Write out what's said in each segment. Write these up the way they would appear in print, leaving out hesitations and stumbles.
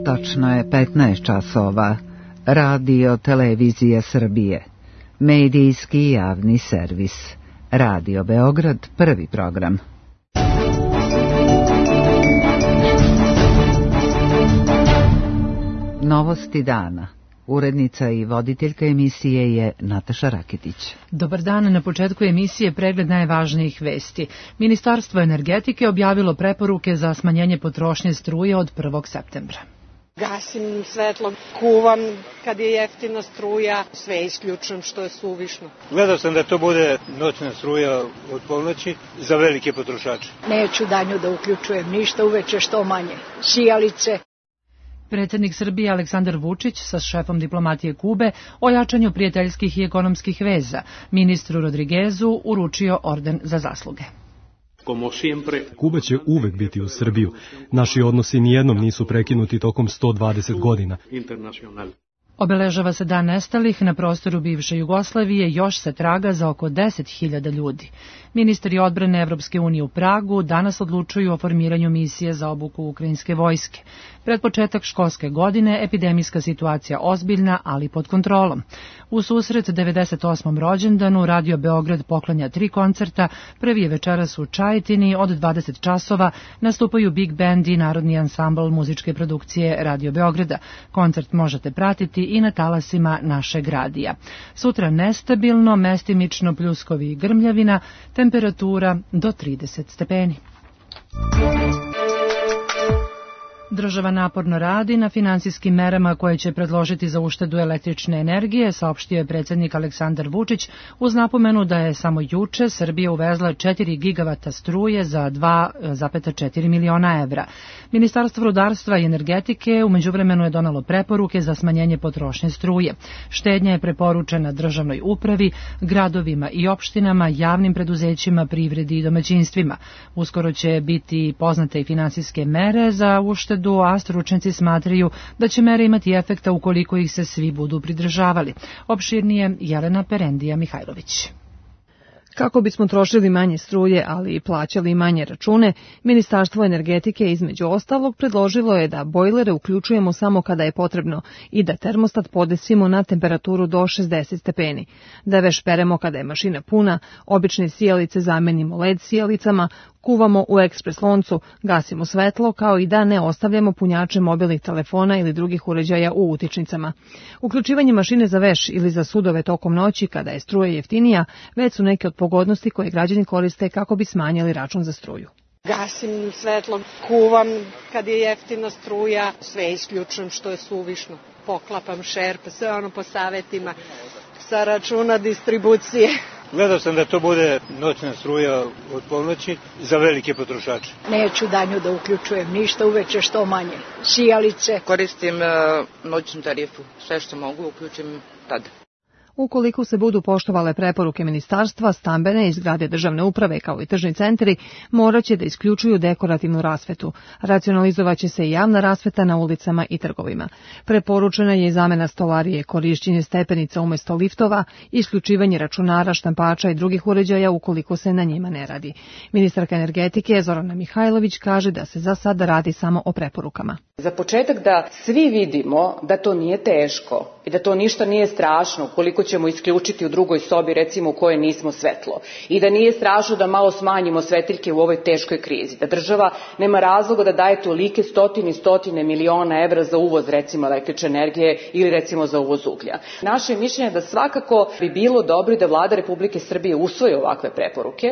Tačno je 15 časova. Radio Televizija Srbije. Medijski javni servis. Radio Beograd, prvi program. Novosti dana. Urednica i voditeljka emisije je Nataša Raketić. Dobar dan, na početku emisije pregled najvažnijih vesti. Ministarstvo energetike objavilo preporuke za smanjenje potrošnje struje od 1. septembra. Gasim svetlo, kuvam kad je jeftina struja, sve isključujem što je suvišno. Gledao sam da to bude noćna struja od ponoći za velike potrošače. Neću danju da uključujem ništa, uveče što manje. Sijalice. Predsjednik Srbije Aleksandar Vučić sa šefom diplomatije Kube o jačanju prijateljskih i ekonomskih veza ministru Rodriguezu uručio orden za zasluge. Kuba će uvek biti uz Srbiju. Naši odnosi nijednom nisu prekinuti tokom 120 godina. Obeležava se dan nestalih na prostoru bivše Jugoslavije, još se traga za oko 10.000 ljudi. Ministri odbrane Evropske unije u Pragu danas odlučuju o formiranju misije za obuku ukrajinske vojske. Pred početak školske godine epidemijska situacija ozbiljna, ali pod kontrolom. U susret 98. rođendanu Radio Beograd poklanja 3 koncerta. Prvi je večeras u Čajetini od 20 časova. Nastupaju Big Band i Narodni ansambl muzičke produkcije Radio Beograda. Koncert možete pratiti i na talasima našeg radija. Sutra nestabilno, mestimično pljuskovi i grmljavina, temperatura do 30 stepeni. Država naporno radi na finansijskim merama koje će predložiti za uštedu električne energije, saopštio je predsjednik Aleksandar Vučić, uz napomenu da je samo juče Srbija uvezla 4 gigavata struje za 2,4 miliona evra. Ministarstvo rudarstva i energetike u međuvremenu je donalo preporuke za smanjenje potrošnje struje. Štednja je preporučena državnoj upravi, gradovima i opštinama, javnim preduzećima, privredi i domaćinstvima. Uskoro će biti poznate i finansijske mere za uštedu, a stručnjaci smatraju da će mere imati efekta ukoliko ih se svi budu pridržavali. Opširnije Jelena Perendija-Mihajlović. Kako bismo trošili manje struje, ali i plaćali manje račune, Ministarstvo energetike između ostalog predložilo je da bojlere uključujemo samo kada je potrebno i da termostat podesimo na temperaturu do 60 stepeni, da veš peremo kada je mašina puna, obične sijalice zamenimo LED sijalicama, kuvamo u ekspres loncu, gasimo svetlo, kao i da ne ostavljamo punjače mobilnih telefona ili drugih uređaja u utičnicama. Uključivanje mašine za veš ili za sudove tokom noći kada je struja jeftinija, već su neke od pogodnosti koje građani koriste kako bi smanjili račun za struju. Gasim svetlo, kuvam kad je jeftina struja, sve isključujem što je suvišno. Poklapam šerp, sve ono po savetima sa računa distribucije. Gledao sam da to bude noćna struja od ponoći za velike potrošače. Neću danju da uključujem ništa, uveče što manje. Sijalice. Koristim noćnu tarifu, sve što mogu uključim tada. Ukoliko se budu poštovale preporuke ministarstva, stambene i zgrade državne uprave kao i tržni centri moraće da isključuju dekorativnu rasvetu. Racionalizovaće se i javna rasveta na ulicama i trgovima. Preporučena je i zamena stolarije, korišćenje stepenica umjesto liftova, isključivanje računara, štampača i drugih uređaja ukoliko se na njima ne radi. Ministarka energetike Zorana Mihajlović kaže da se za sada radi samo o preporukama. Za početak da svi vidimo da to nije teško i da to ništa nije strašno ukoliko ćemo isključiti u drugoj sobi, recimo u kojoj nismo svetlo. I da nije strašno da malo smanjimo svetiljke u ovoj teškoj krizi. Da država nema razloga da daje tolike stotine miliona evra za uvoz, recimo, električne energije ili recimo za uvoz uglja. Naše mišljenje je da svakako bi bilo dobro da Vlada Republike Srbije usvoji ovakve preporuke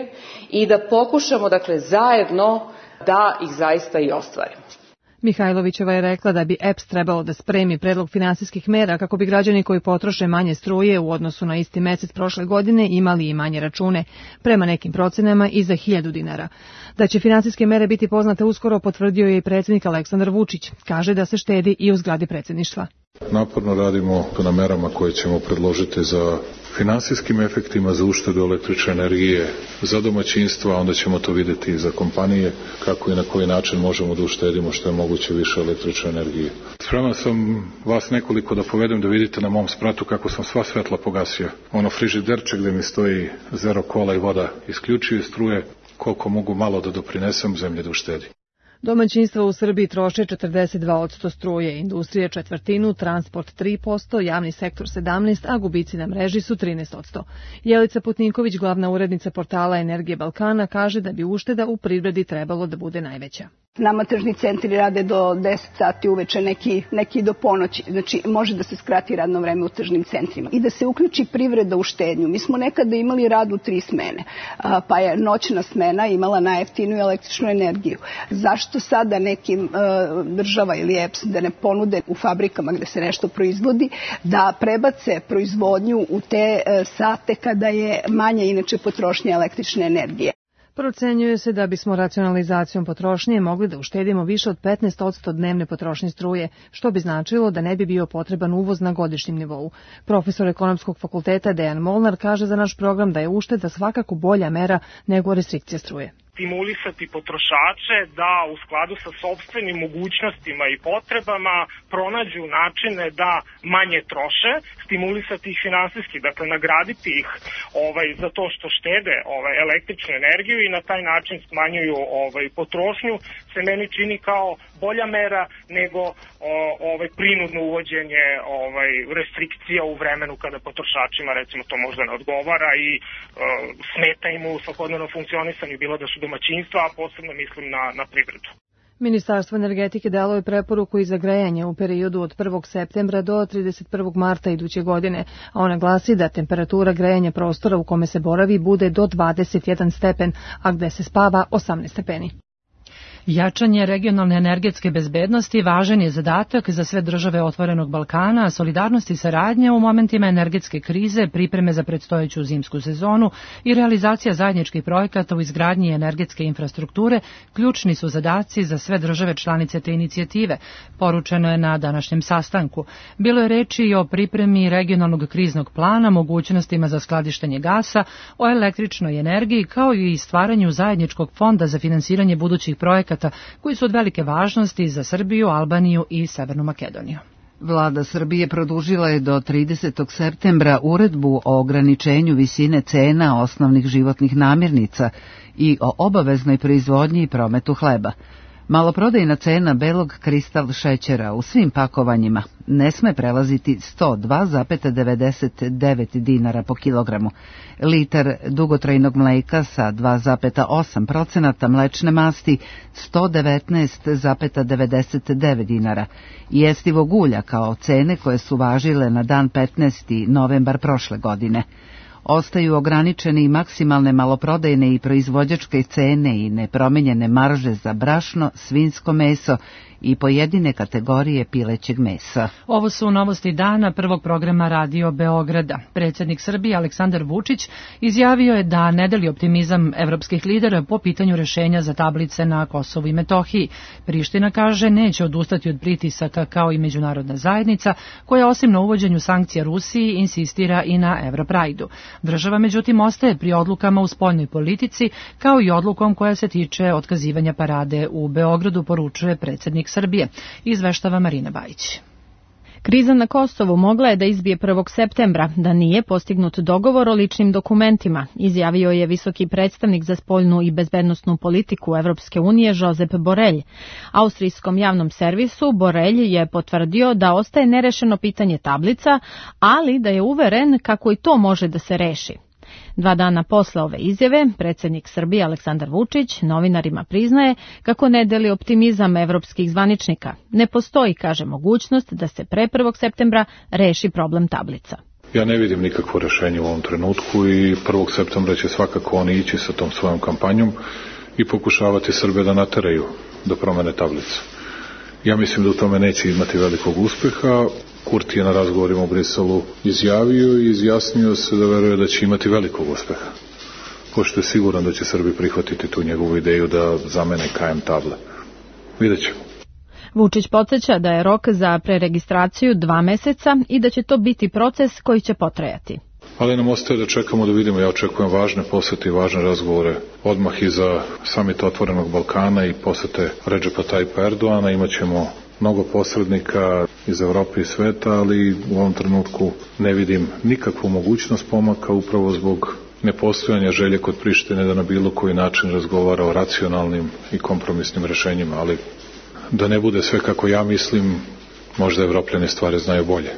i da pokušamo, dakle, zajedno da ih zaista i ostvarimo. Mihajlovićeva je rekla da bi EPS trebalo da spremi predlog finansijskih mera kako bi građani koji potroše manje struje u odnosu na isti mesec prošle godine imali i manje račune, prema nekim procenama i za 1.000 dinara. Da će finansijske mere biti poznate uskoro potvrdio je i predsjednik Aleksandar Vučić. Kaže da se štedi i u zgradi predsjedništva. Naporno radimo na merama koje ćemo predložiti za finansijskim efektima za uštedu električne energije za domaćinstva, onda ćemo to vidjeti i za kompanije kako i na koji način možemo da uštedimo što je moguće više električne energije. Spreman sam vas nekoliko da povedem da vidite na mom spratu kako sam sva svetla pogasio. Ono frižiderče gde mi stoji zero kola i voda isključuje struje, koliko mogu malo da doprinesem zemlje da uštedi. Domaćinstva u Srbiji troše 42% struje, industrija 1/4, transport 3%, javni sektor 17%, a gubici na mreži su 13%. Jelica Putniković, glavna urednica portala Energije Balkana, kaže da bi ušteda u privredi trebalo da bude najveća. Nama tržni centri rade do 10 sati uveče, neki do ponoći. Znači, može da se skrati radno vreme u tržnim centrima i da se uključi privreda u štednju. Mi smo nekada imali rad u 3 smene, pa je noćna smena imala najjeftiniju električnu energiju. Zašto sada nekim država ili EPS da ne ponude u fabrikama gde se nešto proizvodi, da prebace proizvodnju u te sate kada je manja inače potrošnja električne energije? Procenjuje se da bismo racionalizacijom potrošnje mogli da uštedimo više od 15% dnevne potrošnje struje, što bi značilo da ne bi bio potreban uvoz na godišnjem nivou. Profesor ekonomskog fakulteta Dejan Molnar kaže za naš program da je ušteda svakako bolja mera nego restrikcija struje. Stimulisati potrošače da u skladu sa sopstvenim mogućnostima i potrebama pronađu načine da manje troše, stimulisati ih finansijski, dakle nagraditi ih za to što štede električnu energiju i na taj način smanjuju potrošnju, se meni čini kao bolja mera nego prinudno uvođenje restrikcija u vremenu kada potrošačima recimo to možda ne odgovara i smeta im u svakodnevnom funkcionisanju, bilo da su domaćinstva, a posebno mislim na privredu. Ministarstvo energetike dalo je preporuku i za grejanje u periodu od 1. septembra do 31. marta iduće godine, a ona glasi da temperatura grejanja prostora u kome se boravi bude do 21 stepen, a gde se spava 18 stepeni. Jačanje regionalne energetske bezbednosti važan je zadatak za sve države Otvorenog Balkana, solidarnost i saradnja u momentima energetske krize, pripreme za predstojeću zimsku sezonu i realizacija zajedničkih projekata u izgradnji energetske infrastrukture ključni su zadaci za sve države članice te inicijative, poručeno je na današnjem sastanku. Bilo je reči i o pripremi regionalnog kriznog plana, mogućnostima za skladištenje gasa, o električnoj energiji, kao i stvaranju zajedničkog fonda za finansiranje budućih projekata koji su od velike važnosti za Srbiju, Albaniju i Severnu Makedoniju. Vlada Srbije produžila je do 30. septembra uredbu o ograničenju visine cena osnovnih životnih namirnica i o obaveznoj proizvodnji i prometu hleba. Maloprodajna cena belog kristal šećera u svim pakovanjima ne sme prelaziti 102,99 dinara po kilogramu. Litar dugotrajnog mleka sa 2,8% mlečne masti 119,99 dinara. I jestivog ulja kao cene koje su važile na dan 15. novembar prošle godine. Ostaju ograničene i maksimalne maloprodajne i proizvođačke cene i nepromenjene marže za brašno, svinjsko meso i pojedine kategorije pilećeg mesa. Ovo su novosti dana prvog programa Radio Beograda. Predsjednik Srbije Aleksandar Vučić izjavio je da ne deli optimizam evropskih lidera po pitanju rešenja za tablice na Kosovu i Metohiji. Priština kaže neće odustati od pritisaka kao i međunarodna zajednica, koja osim na uvođenju sankcija Rusiji insistira i na Evroprajdu. Država međutim ostaje pri odlukama u spoljnoj politici, kao i odlukom koja se tiče otkazivanja parade u Beogradu, poručuje predsjednik Srbije. Izveštava Marina Bajić. Kriza na Kosovu mogla je da izbije 1. septembra, da nije postignut dogovor o ličnim dokumentima, izjavio je visoki predstavnik za spoljnu i bezbednosnu politiku Evropske unije Josep Borrell. Austrijskom javnom servisu Borrell je potvrdio da ostaje nerešeno pitanje tablica, ali da je uveren kako i to može da se reši. 2 dana posle ove izjave, predsjednik Srbije Aleksandar Vučić novinarima priznaje kako ne deli optimizam evropskih zvaničnika. Ne postoji, kaže, mogućnost da se pre 1. septembra reši problem tablica. Ja ne vidim nikakvo rešenje u ovom trenutku i 1. septembra će svakako oni ići sa tom svojom kampanjom i pokušavati Srbe da nateraju do promene tablice. Ja mislim da u tome neće imati velikog uspeha. Kurti je na razgovorima u Briselu izjavio i izjasnio se da veruje da će imati velikog uspeha. Pošto je siguran da će Srbi prihvatiti tu njegovu ideju da zamene KM table. Vidjet ćemo. Vučić podsjeća da je rok za preregistraciju 2 meseca i da će to biti proces koji će potrajati. Ali nam ostaje da čekamo da vidimo. Ja očekujem važne posete i važne razgovore odmah i za samit Otvorenog Balkana i posete Redžepa Tajpa Erdoana. Imaćemo mnogo posrednika iz Evrope i sveta, ali u ovom trenutku ne vidim nikakvu mogućnost pomaka upravo zbog nepostojanja želje kod Prištine da na bilo koji način razgovara o racionalnim i kompromisnim rešenjima, ali da ne bude sve kako ja mislim, možda Evropljani stvari znaju bolje.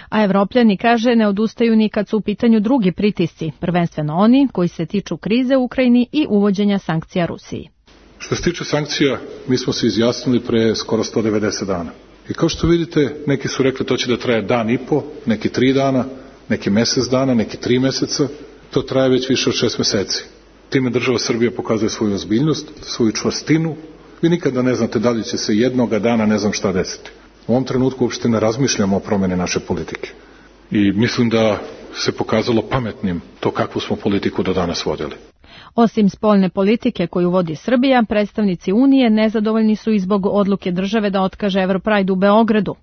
A Evropljani, kaže, ne odustaju ni kad su u pitanju drugi pritisci, prvenstveno oni koji se tiču krize u Ukrajini i uvođenja sankcija Rusiji. Što se tiče sankcija, mi smo se izjasnili pre skoro 190 dana. I kao što vidite, neki su rekli to će da traje dan i po, neki 3 dana, neki mesec dana, neki 3 meseca. To traje već više od 6 meseci. Time država Srbija pokazuje svoju ozbiljnost, svoju čvrstinu. Vi nikada ne znate da li će se jednoga dana ne znam šta desiti. U ovom trenutku uopšte ne razmišljamo o promjeni naše politike. I mislim da se pokazalo pametnim to kakvu smo politiku do danas vodili. Osim spoljne politike koju vodi Srbija, predstavnici Unije nezadovoljni su i zbog odluke države da otkaže Europride u Beogradu.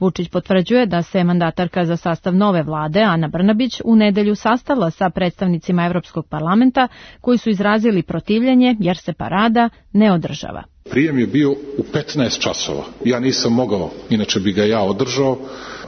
Vučić potvrđuje da se mandatarka za sastav nove vlade, Ana Brnabić, u nedelju sastala sa predstavnicima Evropskog parlamenta koji su izrazili protivljenje jer se parada ne održava. Prijem je bio u 15 časova. Ja nisam mogao, inače bi ga ja održao.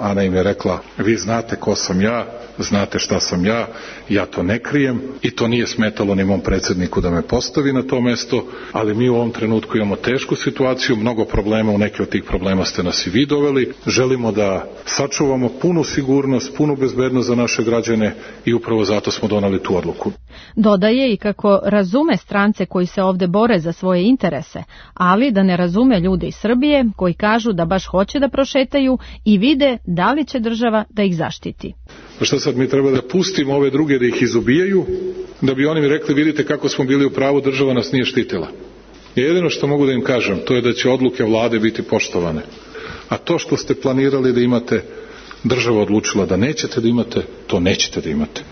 Ana im je rekla, vi znate ko sam ja, znate šta sam ja, ja to ne krijem i to nije smetalo ni mom predsjedniku da me postavi na to mesto, ali mi u ovom trenutku imamo tešku situaciju, mnogo problema, u neke od tih problema ste nas i vi doveli. Želimo da sačuvamo punu sigurnost, punu bezbednost za naše građane i upravo zato smo donali tu odluku. Dodaje i kako razume strance koji se ovde bore za svoje interese, ali da ne razume ljude iz Srbije koji kažu da baš hoće da prošetaju i vide da li će država da ih zaštiti. Pa šta sad, mi treba da pustimo ove druge da ih izubijaju, da bi oni mi rekli vidite kako smo bili u pravu, država nas nije štitila. Jedino što mogu da im kažem, to je da će odluke vlade biti poštovane. A to što ste planirali da imate, država odlučila da nećete da imate, to nećete da imate.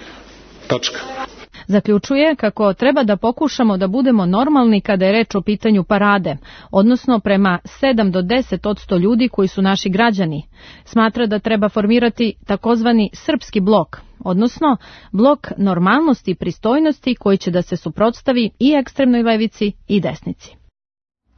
Tačka. Zaključuje kako treba da pokušamo da budemo normalni kada je reč o pitanju parade, odnosno prema 7 do 10% ljudi koji su naši građani. Smatra da treba formirati takozvani srpski blok, odnosno blok normalnosti i pristojnosti koji će da se suprotstavi i ekstremnoj levici i desnici.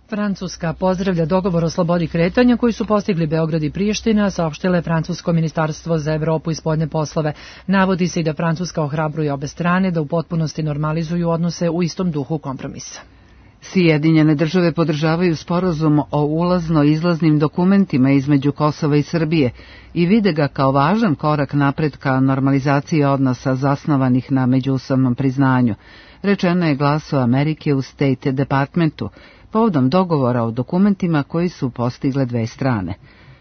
Francuska pozdravlja dogovor o slobodi kretanja koji su postigli Beograd i Priština, saopštile Francusko ministarstvo za Evropu i spoljne poslove. Navodi se i da Francuska ohrabruje obe strane da u potpunosti normalizuju odnose u istom duhu kompromisa. Sjedinjene države podržavaju sporazum o ulazno-izlaznim dokumentima između Kosova i Srbije i vide ga kao važan korak napred ka normalizaciji odnosa zasnovanih na međusobnom priznanju. Rečeno je Glasu Amerike u State Departmentu, povodom dogovora o dokumentima koji su postigle dve strane.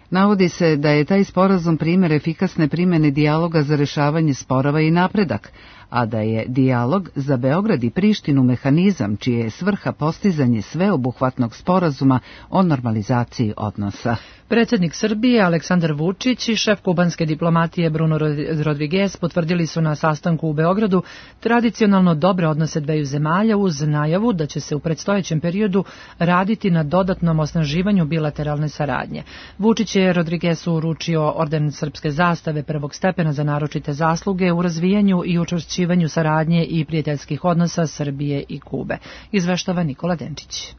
Navodi se da je taj sporazum primjer efikasne primjene dijaloga za rešavanje sporova i napredak, a da je dijalog za Beograd i Prištinu mehanizam čije je svrha postizanje sveobuhvatnog sporazuma o normalizaciji odnosa. Predsjednik Srbije Aleksandar Vučić i šef kubanske diplomatije Bruno Rodriguez potvrdili su na sastanku u Beogradu tradicionalno dobre odnose dveju zemalja uz najavu da će se u predstojećem periodu raditi na dodatnom osnaživanju bilateralne saradnje. Vučić je Rodriguezu uručio orden srpske zastave prvog stepena za naročite zasluge u razvijanju i učvršćivanju saradnje i prijateljskih odnosa Srbije i Kube. Izveštava Nikola Denčić.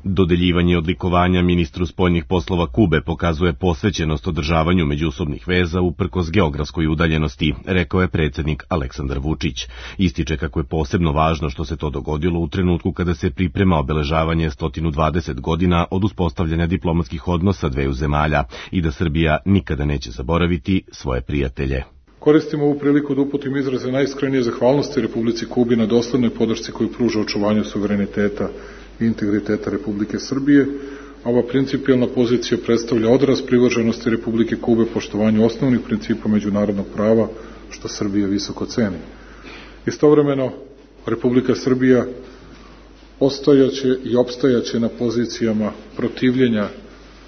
Dodeljivanje odlikovanja ministru spoljnih poslova Kube pokazuje posvećenost održavanju međusobnih veza uprkos geografskoj udaljenosti, rekao je predsjednik Aleksandar Vučić. Ističe kako je posebno važno što se to dogodilo u trenutku kada se priprema obeležavanje 120 godina od uspostavljanja diplomatskih odnosa dveju zemalja i da Srbija nikada neće zaboraviti svoje prijatelje. Koristim ovu priliku da uputim izraze najiskrenije zahvalnosti Republici Kubi na doslednoj podršci koju pruža očuvanju suvereniteta i integriteta Republike Srbije. Ova principijelna pozicija predstavlja odraz privrženosti Republike Kube poštovanju osnovnih principa međunarodnog prava, što Srbija visoko ceni. Istovremeno, Republika Srbija ostajaće i opstajaće na pozicijama protivljenja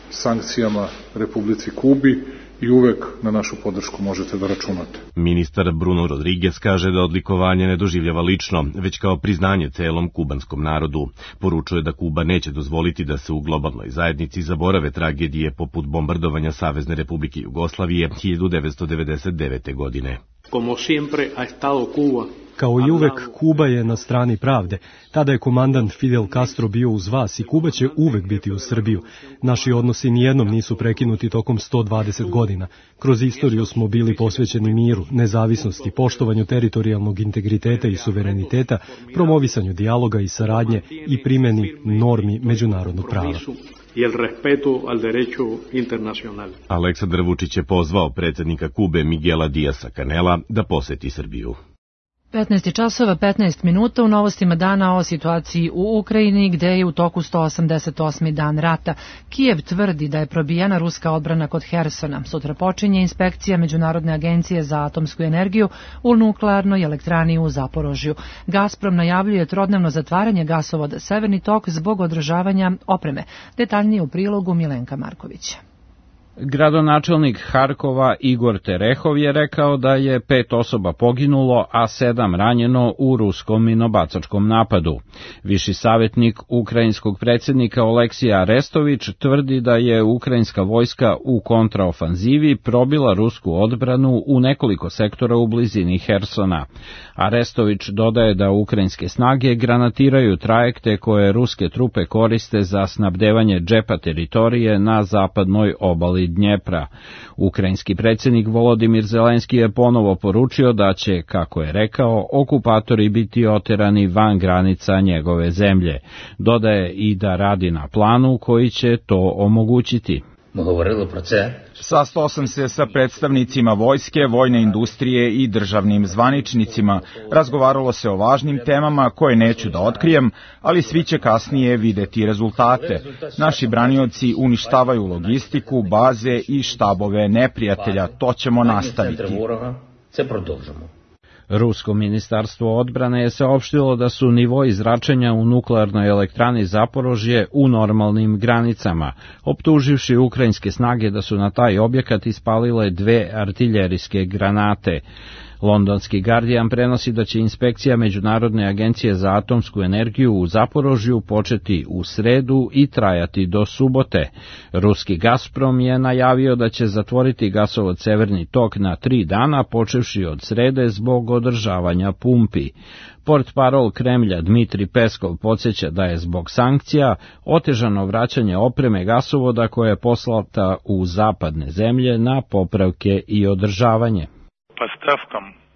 sankcijama Republici Kubi i uvek na našu podršku možete da računate. Ministar Bruno Rodriguez kaže da odlikovanje ne doživljava lično, već kao priznanje celom kubanskom narodu. Poručuje da Kuba neće dozvoliti da se u globalnoj zajednici zaborave tragedije poput bombardovanja Savezne Republike Jugoslavije 1999. godine. Como siempre ha estado Cuba. Kao i uvek, Kuba je na strani pravde. Tada je komandant Fidel Castro bio uz vas i Kuba će uvek biti uz Srbiju. Naši odnosi nijednom nisu prekinuti tokom 120 godina. Kroz istoriju smo bili posvećeni miru, nezavisnosti, poštovanju teritorijalnog integriteta i suvereniteta, promovisanju dijaloga i saradnje i primjeni normi međunarodnog prava. I el respeto al derecho internacional. Aleksandar Vučić je pozvao predsjednika Kube Miguela Díaza Canela da poseti Srbiju. 15 časova 15 minuta u novostima dana o situaciji u Ukrajini gde je u toku 188. dan rata. Kijev tvrdi da je probijena ruska odbrana kod Hersona. Sutra počinje inspekcija Međunarodne agencije za atomsku energiju u nuklearnoj elektrani u Zaporožju. Gazprom najavljuje trodnevno zatvaranje gasovoda Severni tok zbog održavanja opreme. Detaljnije u prilogu Milenka Markovića. Gradonačelnik Harkova Igor Terehov je rekao da je 5 osoba poginulo, a 7 ranjeno u ruskom minobacačkom napadu. Viši savjetnik ukrajinskog predsjednika Oleksija Arestović tvrdi da je ukrajinska vojska u kontraofanzivi probila rusku odbranu u nekoliko sektora u blizini Hersona. Arestović dodaje da ukrajinske snage granatiraju trajekte koje ruske trupe koriste za snabdevanje džepa teritorije na zapadnoj obali Dnjepra. Ukrajinski predsjednik Volodimir Zelenski je ponovo poručio da će, kako je rekao, okupatori biti oterani van granica njegove zemlje. Dodaje i da radi na planu koji će to omogućiti. Sastao sam se sa predstavnicima vojske, vojne industrije i državnim zvaničnicima. Razgovaralo se o važnim temama koje neću da otkrijem, ali svi će kasnije videti rezultate. Naši branioci uništavaju logistiku, baze i štabove neprijatelja. To ćemo nastaviti. Rusko ministarstvo odbrane je saopštilo da su nivoi zračenja u nuklearnoj elektrani Zaporožje u normalnim granicama, optuživši ukrajinske snage da su na taj objekat ispalile 2 artiljerijske granate. Londonski Guardian prenosi da će inspekcija Međunarodne agencije za atomsku energiju u Zaporožju početi u sredu i trajati do subote. Ruski Gazprom je najavio da će zatvoriti gasovod Severni tok na 3 dana, počevši od srede zbog održavanja pumpi. Portparol Kremlja Dmitri Peskov podsjeća da je zbog sankcija otežano vraćanje opreme gasovoda koja je poslata u zapadne zemlje na popravke i održavanje.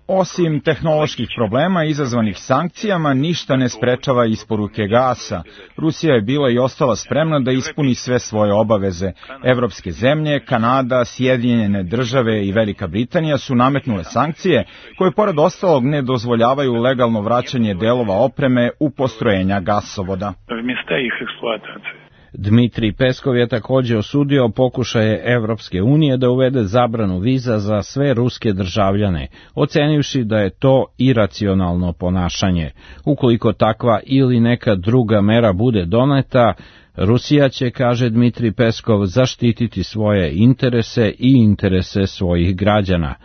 Osim tehnoloških problema izazvanih sankcijama, ništa ne sprečava isporuke gasa. Rusija je bila i ostala spremna da ispuni sve svoje obaveze. Evropske zemlje, Kanada, Sjedinjene države i Velika Britanija su nametnule sankcije koje pored ostalog ne dozvoljavaju legalno vraćanje delova opreme u postrojenja gasovoda. Dmitri Peskov je također osudio pokušaje Evropske unije da uvede zabranu viza za sve ruske državljane, ocenivši da je to iracionalno ponašanje. Ukoliko takva ili neka druga mera bude doneta, Rusija će, kaže Dmitri Peskov, zaštititi svoje interese i interese svojih građana.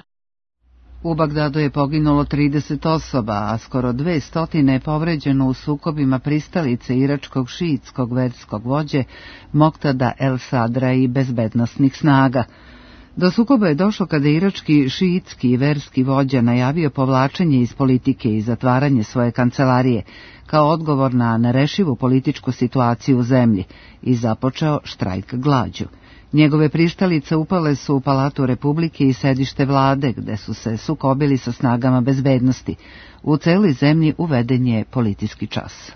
U Bagdadu je poginulo 30 osoba, a skoro 200 je povređeno u sukobima pristalice iračkog šiitskog verskog vođe Moktada El Sadra i bezbednosnih snaga. Do sukoba je došlo kada irački šiitski verski vođa najavio povlačenje iz politike i zatvaranje svoje kancelarije kao odgovor na nerešivu političku situaciju u zemlji i započeo štrajk glađu. Njegove prištalice upale su u Palatu Republike i sedište vlade, gde su se sukobili sa snagama bezbednosti. U celoj zemlji uveden je policijski čas.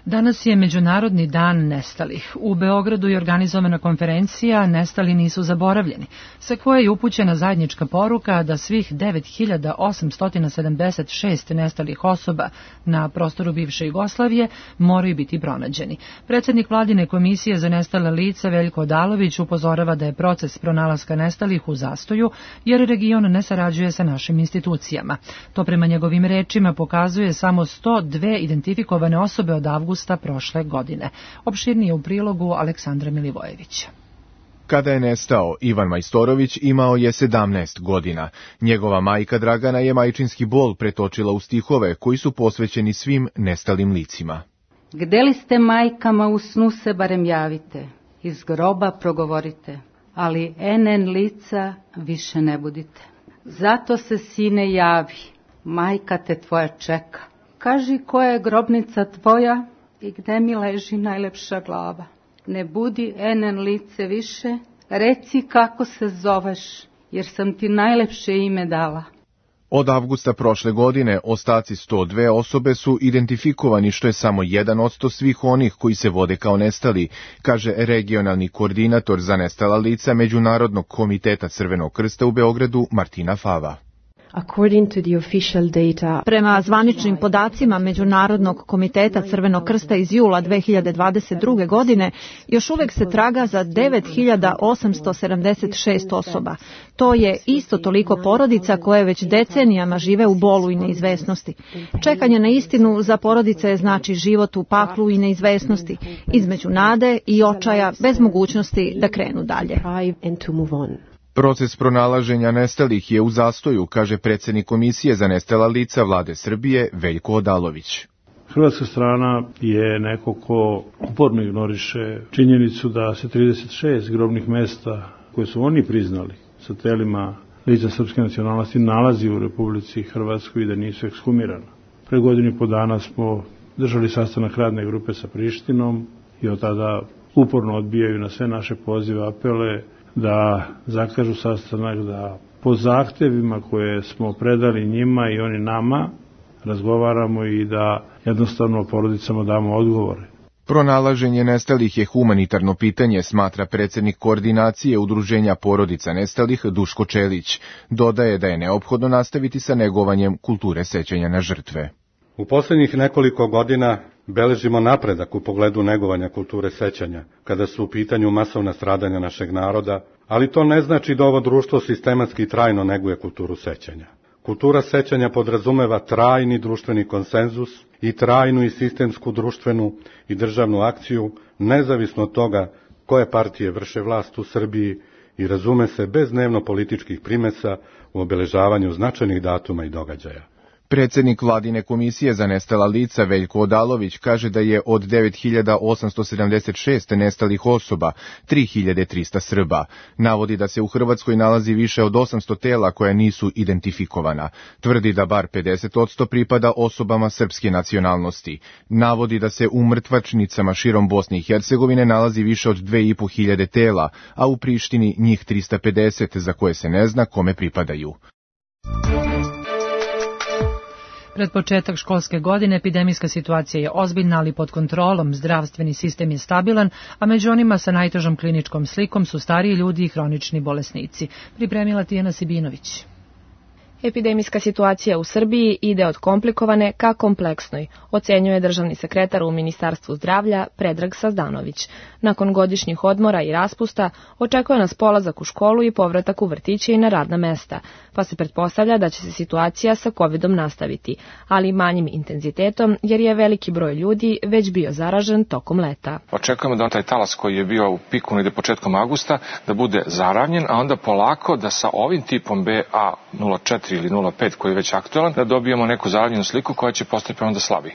Danas je Međunarodni dan nestalih. U Beogradu je organizovana konferencija Nestali nisu zaboravljeni, sa koje je upućena zajednička poruka da svih 9876 nestalih osoba na prostoru bivše Jugoslavije moraju biti pronađeni. Predsjednik Vladine komisije za nestala lica Veljko Odalović upozorava da je proces pronalaska nestalih u zastoju, jer region ne sarađuje sa našim institucijama. To prema njegovim rečima pokazuje samo 102 identifikovane osobe od avgusta prošle godine. Opširnije u prilogu Aleksandra Milivojevića. Kada je nestao, Ivan Majstorović imao je 17 godina. Njegova majka Dragana je majčinski bol pretočila u stihove koji su posvećeni svim nestalim licima. Gde li ste majkama u snu se barem javite, iz groba progovorite, ali NN lica više ne budite. Zato se, sine, javi, majka te tvoja čeka. Kaži koja je grobnica tvoja i gde mi leži najlepša glava. Ne budi enen lice više, reci kako se zoveš, jer sam ti najlepše ime dala. Od avgusta prošle godine ostaci 102 osobe su identifikovani, što je samo 1% svih onih koji se vode kao nestali, kaže regionalni koordinator za nestala lica Međunarodnog komiteta Crvenog krsta u Beogradu Martina Fava. Prema zvaničnim podacima Međunarodnog komiteta Crvenog krsta iz jula 2022. godine, još uvek se traga za 9.876 osoba. To je isto toliko porodica koje već decenijama žive u bolu i neizvesnosti. Čekanje na istinu za porodice znači život u paklu i neizvesnosti, između nade i očaja bez mogućnosti da krenu dalje. Proces pronalaženja nestalih je u zastoju, kaže predsjednik Komisije za nestala lica Vlade Srbije Veljko Odalović. Hrvatska strana je neko ko uporno ignoriše činjenicu da se 36 grobnih mesta koje su oni priznali sa telima lica srpske nacionalnosti nalazi u Republici Hrvatskoj i da nisu ekshumirana. Pre godinu i po dana smo držali sastanak radne grupe sa Prištinom i od tada uporno odbijaju na sve naše pozive, apele da zakažu sastanak, da po zahtevima koje smo predali njima i oni nama razgovaramo i da jednostavno porodicama damo odgovore. Pronalaženje nestalih je humanitarno pitanje, smatra predsjednik koordinacije Udruženja porodica nestalih Duško Čelić. Dodaje da je neophodno nastaviti sa negovanjem kulture sećanja na žrtve. U posljednjih nekoliko godina beležimo napredak u pogledu negovanja kulture sećanja, kada su u pitanju masovna stradanja našeg naroda, ali to ne znači da ovo društvo sistematski i trajno neguje kulturu sećanja. Kultura sećanja podrazumeva trajni društveni konsenzus i trajnu i sistemsku društvenu i državnu akciju, nezavisno od toga koje partije vrše vlast u Srbiji i razume se bez dnevno političkih primesa u obeležavanju značajnih datuma i događaja. Predsjednik Vladine komisije za nestala lica Veljko Odalović kaže da je od 9.876 nestalih osoba 3.300 Srba. Navodi da se u Hrvatskoj nalazi više od 800 tela koja nisu identifikovana. Tvrdi da bar 50% pripada osobama srpske nacionalnosti. Navodi da se u mrtvačnicama širom Bosne i Hercegovine nalazi više od 2.500 tela, a u Prištini njih 350 za koje se ne zna kome pripadaju. Pred početak školske godine epidemijska situacija je ozbiljna, ali pod kontrolom, zdravstveni sistem je stabilan, a među onima sa najtežom kliničkom slikom su stariji ljudi i hronični bolesnici. Pripremila Tijana Sibinović. Epidemijska situacija u Srbiji ide od komplikovane ka kompleksnoj, ocenjuje državni sekretar u Ministarstvu zdravlja Predrag Sazdanović. Nakon godišnjih odmora i raspusta očekuje nas polazak u školu i povratak u vrtiće i na radna mesta, pa se pretpostavlja da će se situacija sa COVID-om nastaviti, ali manjim intenzitetom jer je veliki broj ljudi već bio zaražen tokom leta. Očekujemo da taj talas koji je bio u piku negde početkom avgusta da bude zaravnjen, a onda polako da sa ovim tipom BA04 ili 0,5 koji je već aktualan, da dobijemo neku zaravnjenu sliku koja će postati onda slabiji.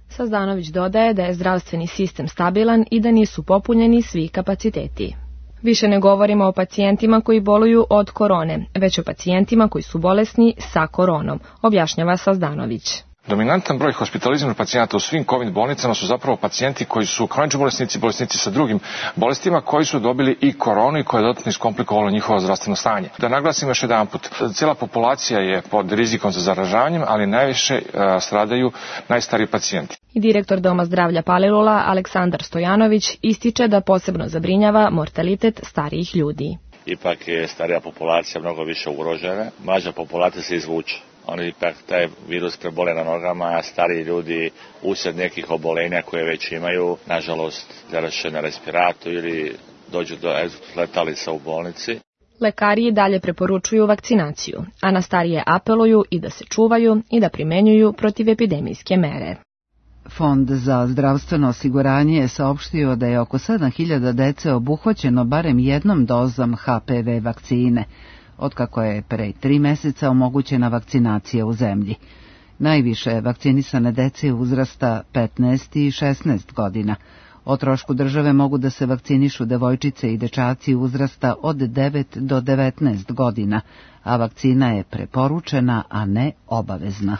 Sazdanović dodaje da je zdravstveni sistem stabilan i da nisu popunjeni svi kapaciteti. Više ne govorimo o pacijentima koji boluju od korone, već o pacijentima koji su bolesni sa koronom, objašnjava Sazdanović. Dominantan broj hospitaliziranih pacijenata u svim COVID bolnicama su zapravo pacijenti koji su kronični bolesnici, bolesnici sa drugim bolestima koji su dobili i koronu i koje je dodatno iskomplikovalo njihovo zdravstveno stanje. Da naglasim još jedan put, cijela populacija je pod rizikom za zaražavanjem, ali najviše stradaju najstariji pacijenti. I direktor Doma zdravlja Palilula Aleksandar Stojanović ističe da posebno zabrinjava mortalitet starijih ljudi. Ipak je starija populacija mnogo više ugrožena, mlađa populacija se izvuče. Oni ipak taj virus prebole na nogama, a stariji ljudi usred nekih obolenja koje već imaju, nažalost, završe na respiratu ili dođu do letalica u bolnici. Lekari i dalje preporučuju vakcinaciju, a na starije apeluju i da se čuvaju i da primenjuju protivepidemijske mere. Fond za zdravstveno osiguranje je saopštio da je oko 7.000 dece obuhvaćeno barem jednom dozom HPV vakcine, otkako je pre 3 meseca omogućena vakcinacija u zemlji. Najviše vakcinisane dece uzrasta 15 i 16 godina. O trošku države mogu da se vakcinišu devojčice i dečaci uzrasta od 9 do 19 godina, a vakcina je preporučena, a ne obavezna.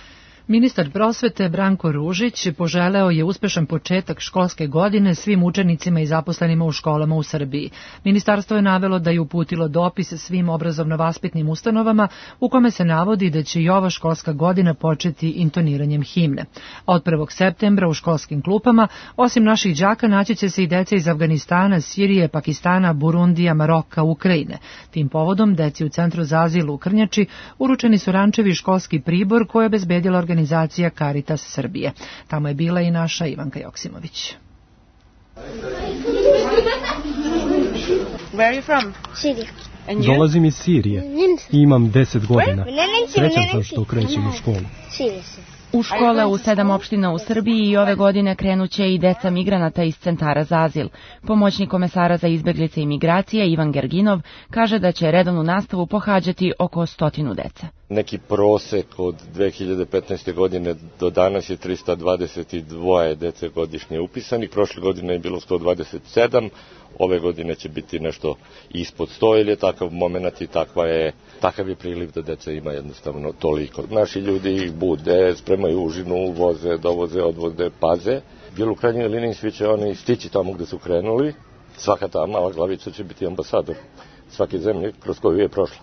Ministar prosvete Branko Ružić poželeo je uspešan početak školske godine svim učenicima i zaposlenima u školama u Srbiji. Ministarstvo je navelo da je uputilo dopis svim obrazovno-vaspitnim ustanovama u kome se navodi da će i ova školska godina početi intoniranjem himne. A od 1. septembra u školskim klupama, osim naših đaka, naći će se i deca iz Afganistana, Sirije, Pakistana, Burundija, Maroka, Ukrajine. Tim povodom, deci u Centru za azil u Krnjači uručeni su rančevi i školski pribor koje je obezbedila organizacija Caritas Srbije. Tamo je bila i naša Ivanka Joksimović. Where are you from? Syria. Dolazim iz Sirije i imam 10 godina. Srećan sam što krećem u školu. U škole u 7 opština u Srbiji i ove godine krenuće i deca migranata iz centara za azil. Pomoćnik komesara za izbeglice i migracije Ivan Gerginov kaže da će redovnu nastavu pohađati oko 100 dece. Neki prosek od 2015. godine do danas je 322 dece godišnje upisanih. Prošle godine je bilo 127, ove godine će biti nešto ispod 100, ili je takav moment i takav je priliv da deca ima jednostavno toliko. Naši ljudi ih bude, spremaju užinu, voze, dovoze, odvoze, paze. Bilo u krajnjoj liniji svi će oni stići tamo gde su krenuli. Svaka ta mala glavica će biti ambasador svake zemlje kroz koju je prošla.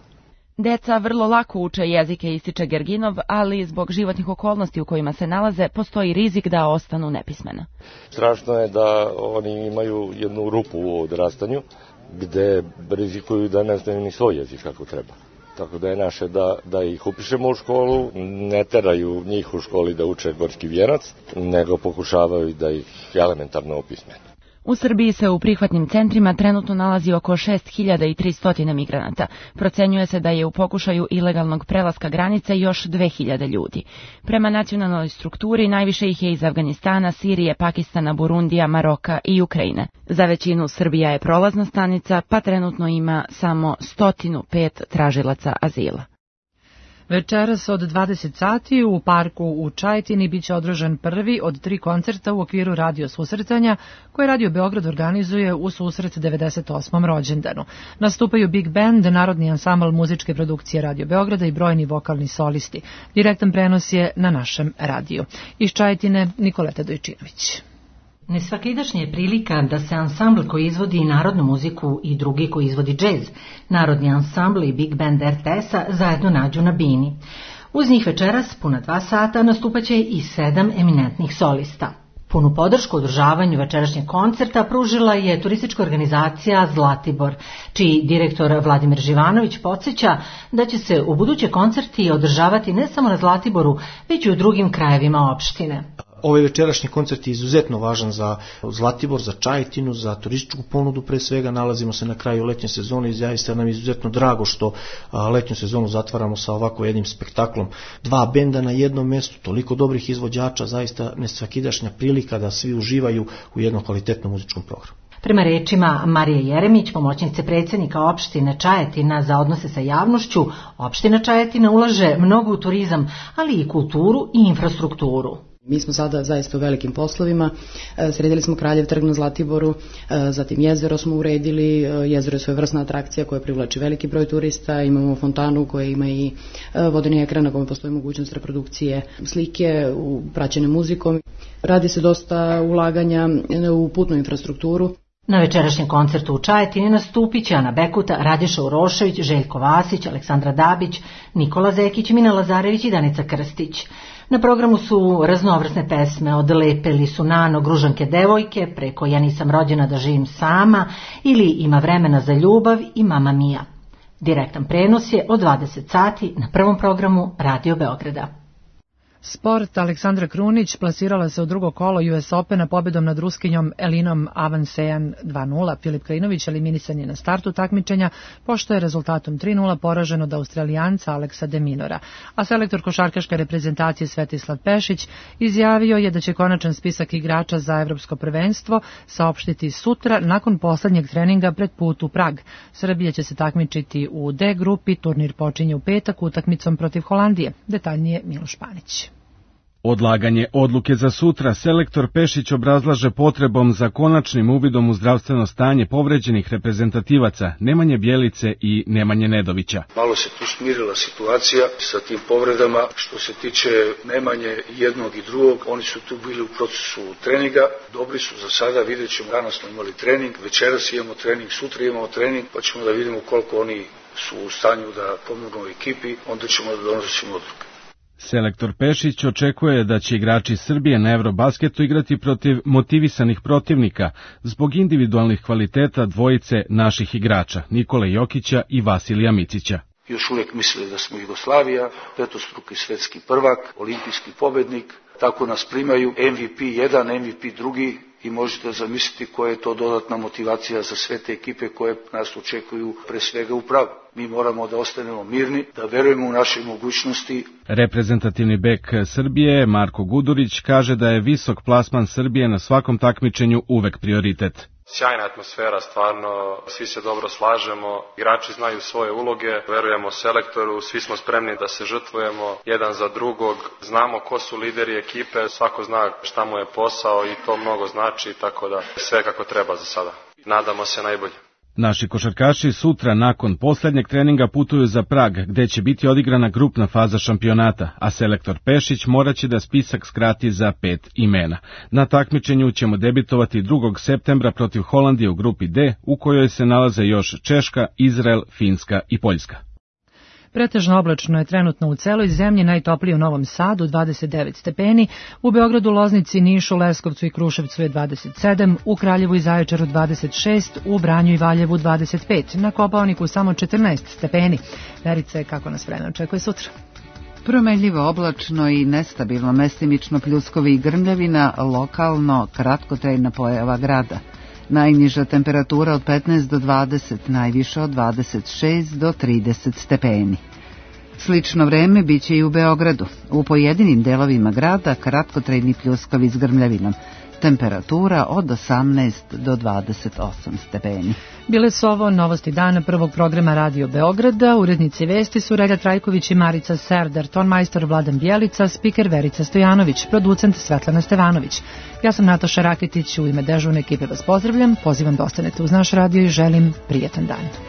Deca vrlo lako uče jezike, ističe Gerginov, ali zbog životnih okolnosti u kojima se nalaze postoji rizik da ostanu nepismena. Strašno je da oni imaju jednu rupu u odrastanju gde rizikuju da ne znaju ni svoj jezik kako treba. Tako da je naše da ih upišemo u školu, ne teraju njih u školi da uče gorski vijenac, nego pokušavaju da ih elementarno opismene. U Srbiji se u prihvatnim centrima trenutno nalazi oko 6300 migranata. Procenjuje se da je u pokušaju ilegalnog prelaska granice još 2000 ljudi. Prema nacionalnoj strukturi najviše ih je iz Afganistana, Sirije, Pakistana, Burundija, Maroka i Ukrajine. Za većinu Srbija je prolazna stanica, pa trenutno ima samo 105 tražilaca azila. Večeras od 20 sati u parku u Čajetini biće održan prvi od 3 koncerta u okviru radio susretanja koje Radio Beograd organizuje u susret 98. rođendanu. Nastupaju Big Band, Narodni ansambl muzičke produkcije Radio Beograda i brojni vokalni solisti. Direktan prenos je na našem radiju. Iz Čajetine Nikoleta Dojčinović. Nesvakidašnja je prilika da se ansambl koji izvodi narodnu muziku i drugi koji izvodi džez, Narodni ansambl i Big Band RTS-a zajedno nađu na bini. Uz njih večeras, puna 2 sata, nastupaće i 7 eminentnih solista. Punu podršku održavanju večerašnjeg koncerta pružila je turistička organizacija Zlatibor, čiji direktor Vladimir Živanović podsjeća da će se u buduće koncerti održavati ne samo na Zlatiboru, već i u drugim krajevima opštine. Ovaj večerašnji koncert je izuzetno važan za Zlatibor, za Čajetinu, za turističku ponudu pre svega. Nalazimo se na kraju letnje sezone i zaista nam je izuzetno drago što letnju sezonu zatvaramo sa ovako jednim spektaklom. 2 benda na jednom mjestu, toliko dobrih izvođača, zaista nesvakidašnja prilika da svi uživaju u jednom kvalitetnom muzičkom programu. Prema rečima Marije Jeremić, pomoćnice predsjednika opštine Čajetina za odnose sa javnošću, opština Čajetina ulaže mnogo u turizam, ali i kulturu i infrastrukturu. Mi smo sada zaista u velikim poslovima, sredili smo Kraljev trg na Zlatiboru, zatim jezero smo uredili, jezero je svojevrsna atrakcija koja privlači veliki broj turista, imamo fontanu koja ima i vodeni ekran na kome postoji mogućnost reprodukcije slike praćene muzikom. Radi se dosta ulaganja u putnu infrastrukturu. Na večerašnjem koncertu u Čajetini nastupit će Ana Bekuta, Radiša Urošević, Željko Vasić, Aleksandra Dabić, Nikola Zekić, Mina Lazarević i Danica Krstić. Na programu su raznovrsne pesme od Lepe li su Nano, Gružanke devojke, preko Ja nisam rođena da živim sama ili Ima vremena za ljubav i Mama Mia. Direktan prenos je od 20 sati na prvom programu Radio Beograda. Sport. Aleksandra Krunić plasirala se u drugo kolo US Opena pobedom nad Ruskinjom Elinom Avansejan 2-0. Filip Krajinović eliminisan je na startu takmičenja, pošto je rezultatom 3-0 poražen od Australijanca Aleksa de Minora. A selektor košarkaške reprezentacije Svetislav Pešić izjavio je da će konačan spisak igrača za evropsko prvenstvo saopštiti sutra nakon poslednjeg treninga pred put u Prag. Srbija će se takmičiti u D grupi, turnir počinje u petak utakmicom protiv Holandije. Detaljnije Miloš Panić. Odlaganje odluke za sutra selektor Pešić obrazlaže potrebom za konačnim uvidom u zdravstveno stanje povređenih reprezentativaca Nemanje Bjelice i Nemanje Nedovića. Malo se tu smirila situacija sa tim povredama. Što se tiče Nemanje jednog i drugog, oni su tu bili u procesu treninga. Dobri su za sada, vidjet ćemo. Danas smo imali trening, večeras imamo trening, sutra imamo trening, pa ćemo da vidimo koliko oni su u stanju da pomognu ekipi, onda ćemo da donosimo odluke. Selektor Pešić očekuje da će igrači Srbije na Eurobasketu igrati protiv motivisanih protivnika zbog individualnih kvaliteta dvojice naših igrača, Nikole Jokića i Vasilija Micića. Još uvijek misle da smo Jugoslavija, petostruki svetski prvak, olimpijski pobednik, tako nas primaju MVP 1, MVP 2 i možete zamisliti koja je to dodatna motivacija za sve te ekipe koje nas očekuju pre svega u pravu. Mi moramo da ostanemo mirni, da verujemo u naše mogućnosti. Reprezentativni bek Srbije Marko Gudurić kaže da je visok plasman Srbije na svakom takmičenju uvek prioritet. Sjajna atmosfera, stvarno, svi se dobro slažemo, igrači znaju svoje uloge, verujemo selektoru, svi smo spremni da se žrtvujemo jedan za drugog, znamo ko su lideri ekipe, svako zna šta mu je posao i to mnogo znači, tako da sve kako treba za sada. Nadamo se najbolje. Naši košarkaši sutra nakon posljednjeg treninga putuju za Prag, gde će biti odigrana grupna faza šampionata, a selektor Pešić moraće da spisak skrati za 5 imena. Na takmičenju ćemo debitovati 2. septembra protiv Holandije u grupi D, u kojoj se nalaze još Češka, Izrael, Finska i Poljska. Pretežno oblačno je trenutno u celoj zemlji, najtoplije u Novom Sadu 29 stepeni, u Beogradu, Loznici, Nišu, Leskovcu i Kruševcu je 27, u Kraljevu i Zaječaru 26, u Vranju i Valjevu 25, na Kopaoniku samo 14 stepeni. Verice, kako nas vreme očekuje sutra? Promenljivo oblačno i nestabilno, mestimično pljuskovi i grmljavina, lokalno kratkotrajna pojava grada. Najniža temperatura od 15 do 20, najviša od 26 do 30 stepeni. Slično vreme biće i u Beogradu. U pojedinim delovima grada kratkotrajni pljuskovi s grmljavinom. Temperatura od 18 do 28 stepeni. Bile su ovo novosti dana prvog programa Radio Beograda. Urednici vesti su Relja Trajković i Marica Serdar, tonmajstor Vladan Bjelica, spiker Verica Stojanović, producent Svetlana Stevanović. Ja sam Nataša Raketić, u ime dežurne ekipe vas pozdravljam, pozivam da ostanete uz naš radio i želim prijetan dan.